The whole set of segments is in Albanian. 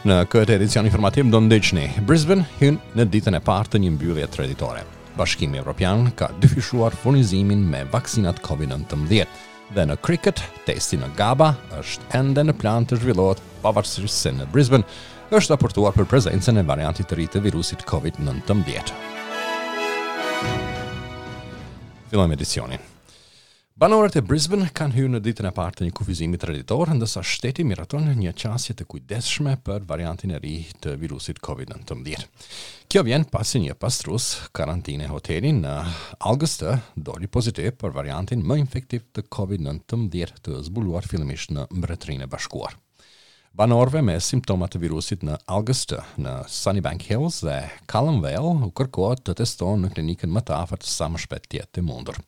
Në këtë edicion informativ do ndiqni Brisbane hyn në ditën e parë të një mbyllje treditore. Bashkimi Evropian ka dyfishuar furnizimin me vaksinat COVID-19 dhe në cricket, testi në Gabba është ende në plan të zhvillohet pavarësisht se në Brisbane është raportuar për prezencën e variantit të ri të virusit COVID-19. Fillojmë edicionin. Banorët e Brisbane kanë hyrë në ditën e parë të një kufizimi treditor, ndërsa shteti miraton një qasje të kujdesshme për variantin e ri të virusit COVID-19. Kjo vjen pasi një pastrues karantine hoteli në Augusta doli pozitiv për variantin më infektiv të COVID-19 të zbuluar fillimisht në Mbretërinë e Bashkuar. Banorëve me simptoma të virusit në Augusta, në Sunnybank Hills dhe Calamvale u kërkohet të testohen në klinikën më të afërt sa më shpejt të jetë e mundur.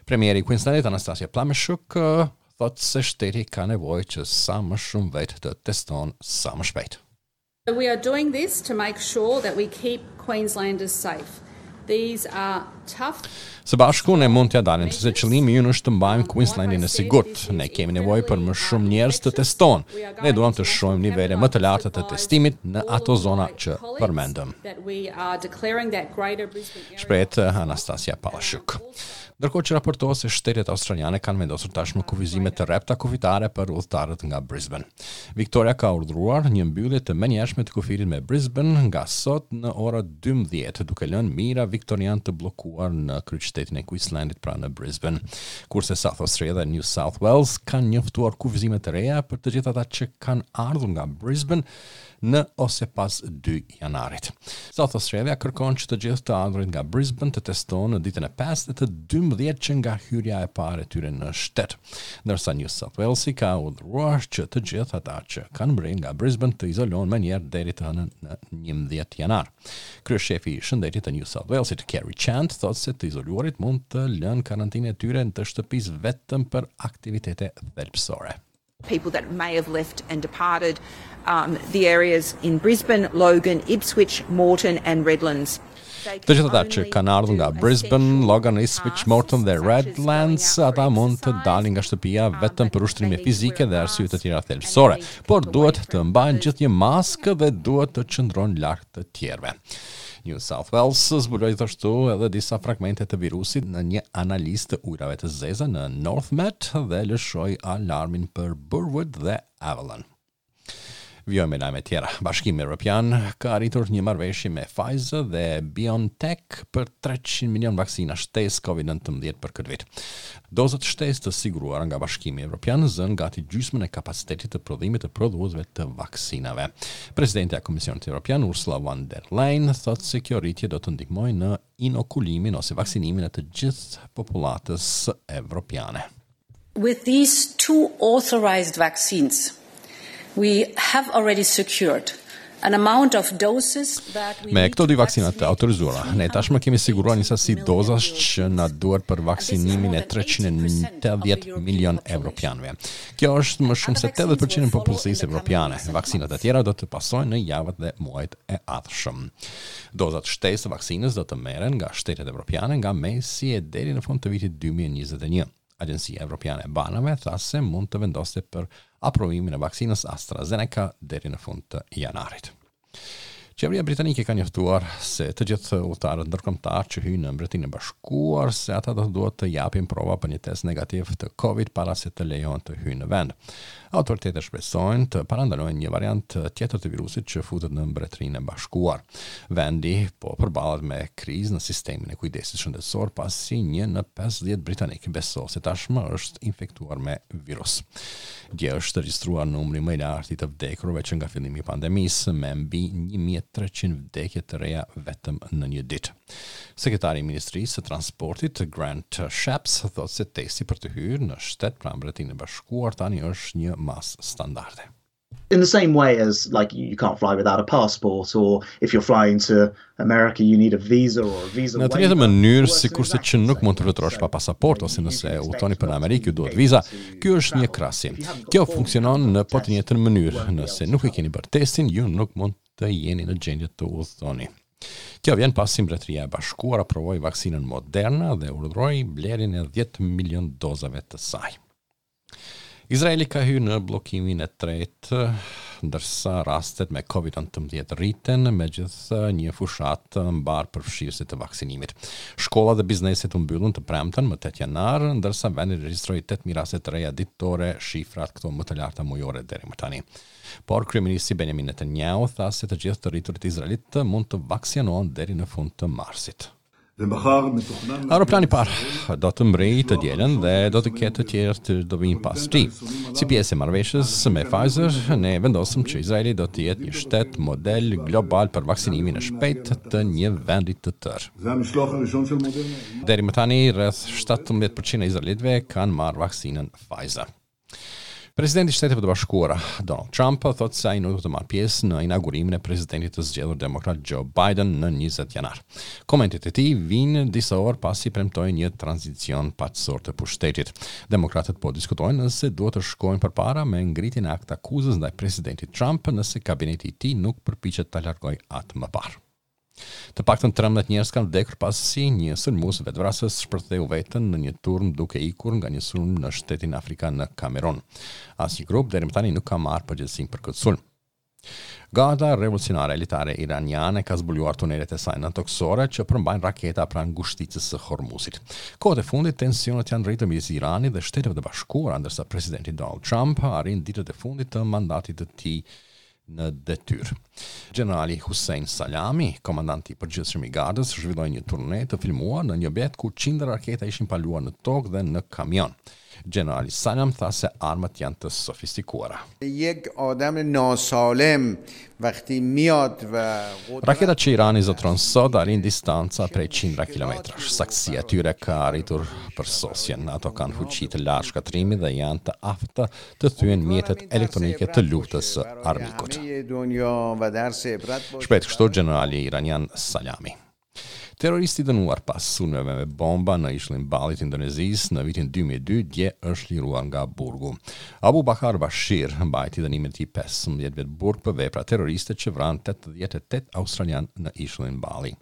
Premieri i Queenslandit Anastasia Palaszczuk thotë se shteti ka nevojë që sa më shumë vetë të testohen sa më shpejt. We are doing this to make sure that we keep Queenslanders safe. These are tough Së bashku ne mund t'ia dalim, sepse qëllimi ynë është të mbajmë Queenslandin e sigurt. Ne kemi nevojë për më shumë njerëz të testohen. Ne duam të shohim nivele më të larta të testimit në ato zona që përmendëm. Shprehet Anastasia Palaszczuk. Ndërkohë që raportohet se shtetet australiane kanë vendosur tashmë kufizime të rrepta kufitare për udhëtarët nga Brisbane. Victoria ka urdhëruar një mbyllje të menjëhershme të kufirit me Brisbane nga sot në ora 12, duke lënë mijëra viktorianë të bllokuar në kryeqytetin e Queenslandit, pra në Brisbane. Kurse South Australia dhe New South Wales kanë njoftuar kufizime të reja për të gjithë ata që kanë ardhur nga Brisbane në ose pas 2 janarit. South Australia kërkon që të gjithë të ardhurit nga Brisbane të testohen në ditën e 5 dhe të 12 që nga hyrja e parë e tyre në shtet. Ndërsa New South Walesi ka urdhëruar që të gjithë ata që kanë mbërritur nga Brisbane të izolohen menjëherë deri të hënën në 11 janar. Kryeshefi i shëndetit të New South Walesit, Kerry Chant, thotë se të izoluarit mund të lënë karantinën e tyre të shtëpisë vetëm për aktivitete thelbësore. People that may have left and departed um, the areas in Brisbane, Logan, Ipswich, Moreton and Redlands. Të gjithë ata që kanë ardhur nga Brisbane, Logan, Ipswich, Moreton dhe Redlands, ata mund të dalin nga shtëpia vetëm për ushtrime fizike dhe arsye të tjera thelbësore, por duhet të mbajnë gjithnjë maskë dhe duhet të qëndrojnë larg të tjerëve. New South Wales zbuloi gjithashtu edhe disa fragmente të virusit në një analizë të ujërave të zeza në North Met dhe lëshoi alarmin për Burwood dhe Avalon. Vijojmë me lajme tjera. Bashkimi Evropian ka arritur një marrëveshje me Pfizer dhe BioNTech për 300 milion vaksina shtesë COVID-19 për këtë vit. Dozat shtesë të siguruara nga Bashkimi Evropian zënë gati gjysmën e kapacitetit të prodhimit të prodhuesve të vaksinave. Presidentja e Komisionit Evropian Ursula von der Leyen thotë se kjo rritje do të ndihmojë në inokulimin ose vaksinimin e të gjithë popullatës evropiane. With these two authorized vaccines, we have already secured an amount of doses that we Me këto dy vaksina të autorizuara, ne tashmë kemi siguruar një sasi dozash që na duhet për vaksinimin e 380 milion evropianëve. Kjo është më shumë se 80% e popullsisë evropiane. Vaksinat e tjera do të pasojnë në javët dhe muajt e ardhshëm. Dozat shtesë të vaksinës do të merren nga shtetet evropiane nga mesi e deri në fund të vitit 2021. Agjencia Evropiane e Barnave tha se mund të vendoste për aprovimin e vaksinës AstraZeneca deri në fund të janarit. Qeveria britanike ka njoftuar se të gjithë udhëtarët ndërkombëtar që hyjnë në Mbretërinë e Bashkuar se ata do të duhet të japin prova për një test negativ të Covid para se të lejohen të hyjnë në vend. Autoritetet shpresojnë të parandalojnë një variant tjetër të virusit që futet në Mbretërinë e Bashkuar. Vendi po përballet me krizë në sistemin e kujdesit shëndetësor pasi një në 50 britanik besohet se tashmë është infektuar me virus. Dje është regjistruar numri më i lartë i të vdekurve që nga fillimi i pandemisë, me mbi 1300 vdekje të reja vetëm në një ditë. Sekretari i Ministrisë së Transportit, Grant Shapps, thotë se testi për të hyrë në shtet pra Mbretërinë e Bashkuar tani është një masë standarde. In the same way as like you can't fly without a passport or if you're flying to America you need a visa or a visa Në të njëjtën mënyrë, sikurse që nuk mund të fluturosh pa pasaportë ose nëse udhëtoni për në Amerikë ju duhet viza, ky është një krahasim. Kjo funksionon në po të njëjtën mënyrë. Nëse nuk e keni bërë testin, ju nuk mund të jeni në gjendje të udhëtoni. Kjo vjen pasi Mbretëria e Bashkuar aprovoi vaksinën Moderna dhe urdhëroi blerjen e 10 milion dozave të saj. Izraeli ka hyrë në bllokimin e tretë. Ndërsa rastet me Covid 19 rriten me gjithë një fushatë mbarëpërfshirëse të vaksinimit. Shkollat dhe bizneset u mbyllën të premten më 8 janar, ndërsa vendi regjistroi 8000 raste të reja ditore, shifrat këto më të larta mujore deri më tani. Por kryeministri Benjamin Netanyahu tha se të gjithë të rriturit izraelitë mund të vaksinohen deri në fund të marsit. Aeroplani i parë do të mbërrijë të dielën dhe do të ketë të tjerë që do vijnë pas tij. Si pjesë e marrëveshjes me Pfizer, ne vendosëm që Izraeli do të jetë një shtet model global për vaksinimin e shpejtë të një vendi të tërë. Deri më tani, rreth 17% e izraelitëve kanë marrë vaksinën Pfizer. Presidenti i Shteteve të Bashkuara, Donald Trump, thotë se ai nuk do të marrë pjesë në inaugurimin e presidentit të zgjedhur demokrat Joe Biden në 20 janar. Komentet e tij vijnë disa orë pasi premtoi një tranzicion paqësor të pushtetit. Demokratët po diskutojnë nëse duhet të shkojnë përpara me ngritjen e aktakuzës ndaj presidentit Trump nëse kabineti i tij nuk përpiqet ta largojë atë më parë. Të paktën 13 njerëz kanë vdekur pasi një sulmues vetëvrasës shpërtheu veten në një turmë duke ikur nga një sulm në shtetin afrikan në Kamerun. Asnjë grup deri më tani nuk ka marrë përgjegjësinë për këtë sulm. Garda Revolucionare Elitare Iraniane ka zbuluar tunelet e saj nëntokësore që përmbajnë raketa pranë ngushticës së Hormuzit. Kohët e fundit, tensionet janë rritur midis Iranit dhe Shteteve të Bashkuara, ndërsa presidenti Donald Trump arrin ditët e fundit të mandatit të tij në detyrë. Gjenerali Hussein Salami, komandanti i përgjithshëm i Gardës, zhvilloi një turne të filmuar në një objekt ku qindra raketa ishin paluar në tokë dhe në kamion. Gjenerali Salam tha se armët janë të sofistikuara. Raketat që Irani zotëron sot arrijnë distanca prej qindra kilometrash. Saktësia e tyre ka arritur përsosjen. Ato kanë fuqi të lartë shkatërrimi dhe janë të afta të thyejnë mjetet elektronike të luftës së armikut. Shprehet kështu gjenerali iranian Salami. Terroristi i dënuar pas sulmeve me bomba në ishullin Bali të Indonezisë në vitin 2002 dje është liruar nga burgu. Abu Bakar Bashir mbajti dënimin e tij 15 vjet burg për vepra terroriste që vranë 88 australianë në ishullin Bali.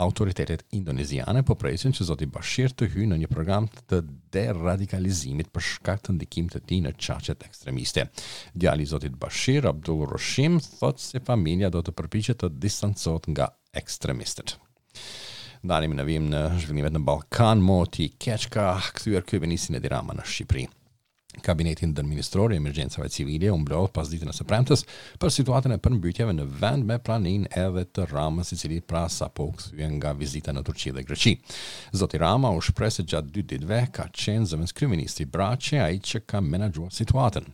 Autoritetet indoneziane po presin që zoti Bashir të hyjë në një program të deradikalizimit për shkak të ndikimit të tij në qarqet ekstremiste. Djali i zotit Bashir, Abdul Roshim, thotë se familja do të përpiqet të distancohet nga ekstremistët. Ndalemi në vijim në zhvillimet në Ballkan, moti i keq ka kthyer kryeministrin Edi Rama në Shqipëri. Kabineti ndërministror i emergjencave civile u mblodh pasditen e së premtes për situatën e përmbytjeve në vend me praninë edhe të Ramës, i cili pra sapo u kthye nga vizita në Turqi dhe Greqi. Zoti Rama u shpreh se gjatë dy ditëve ka qenë zëvendëskryeministri Braçe ai që ka menaxhuar situatën.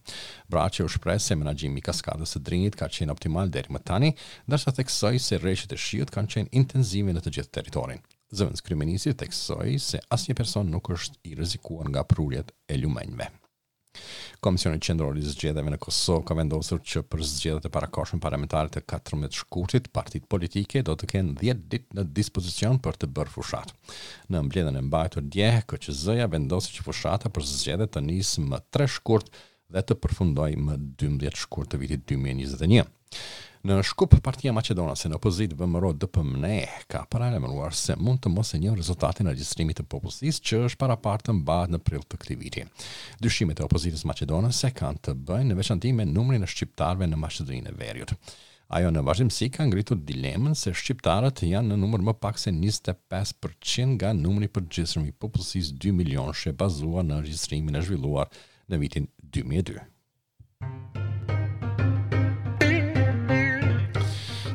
Braçe u shpreh se menaxhimi i kaskadës së Drinit ka qenë optimal deri më tani, ndërsa theksoi se reshjet e shiut kanë qenë intensive në të gjithë territorin. Zëvendëskryeministri theksoi se asnjë person nuk është i rrezikuar nga prurjet e lumenjve. Komisioni Qendror i Zgjedhjeve në Kosovë ka vendosur që për zgjedhjet e parakohshme parlamentare të 14 shkurtit, partitë politike do të kenë 10 ditë në dispozicion për të bërë fushatë. Në mbledhjen e mbajtur dje, KQZ-ja vendosi që fushata për zgjedhjet të nisë më 3 shkurt dhe të përfundojë më 12 shkurt të vitit 2021. Në Shkup, partia maqedonase në opozitë VMRO DPMNE ka paralajmëruar se mund të mos e njohë rezultatin e regjistrimit të popullsisë që është paraparë të mbahet në prill të këtij viti. Dyshimet e opozitës maqedonase kanë të bëjnë në veçanti me numrin e shqiptarëve në Maqedoninë e Veriut. Ajo në vazhdimësi ka ngritur dilemën se shqiptarët janë në numër më pak se 25% nga numri i përgjithshëm i popullsisë 2 milionëshe bazuar në regjistrimin e zhvilluar në vitin 2002.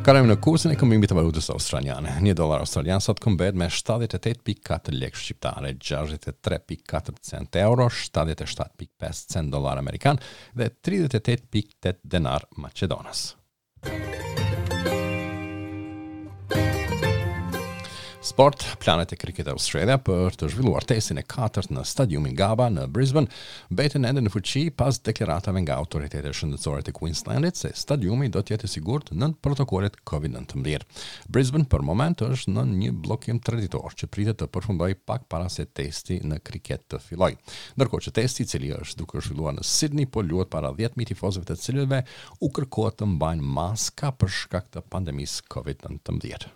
Kalojmë në kursin e këmbimit të valutës australiane. Një dollar australian sot këmbehet me 78.4 lekë shqiptare, 63.4 cent euro, 77.5 cent dollar amerikan dhe 38.8 denar maqedonas. Sport, planet e Cricket Australia për të zhvilluar testin e katërt në stadiumin Gabba në Brisbane mbeten ende në fuqi pas deklaratave nga autoritetet shëndetësore të Queenslandit se stadiumi do të jetë i sigurt nën protokollet COVID-19. Brisbane për moment është nën një bllokim treditor që pritet të përfundojë pak para se testi në kriket të fillojë. Ndërkohë që testi, i cili është duke u zhvilluar në Sydney, po luhet para 10.000 tifozëve të cilëve u kërkohet të mbajnë maska për shkak të pandemisë COVID-19.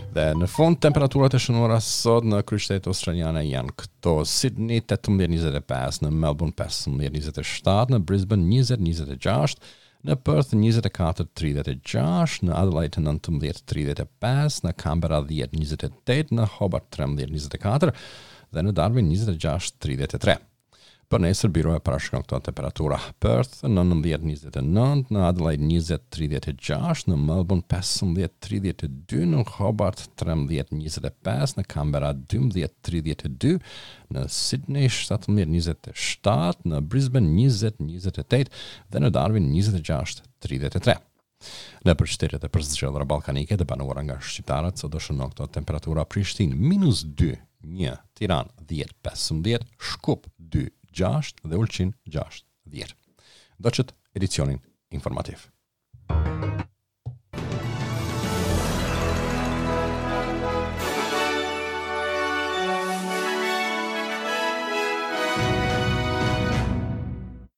Dhe në fund temperaturat e shënuara sot në kryeqytetet australiane janë këto: Sydney 18-25, në Melbourne 15-27, në Brisbane 20-26, në Perth 24-36, në Adelaide 19-35, në Canberra 10-28, në Hobart 13-24 dhe në Darwin 26-33. Për nesër byroja parashikon këto temperatura. Perth 19-29, në Adelaide 20-36, në Melbourne 15-32, në Hobart 13-25, në Canberra 12-32, në Sydney 17-27, në Brisbane 20-28 dhe në Darwin 26-33. Nëpër qytetet e përzgjedhura ballkanike të banuara nga shqiptarët sot do shënohen këto temperatura Prishtinë minus 2, 1, Tiranë 10, 15, Shkup 2, 6 dhe Ulqin 6, 10. Ndoqët edicionin informativ.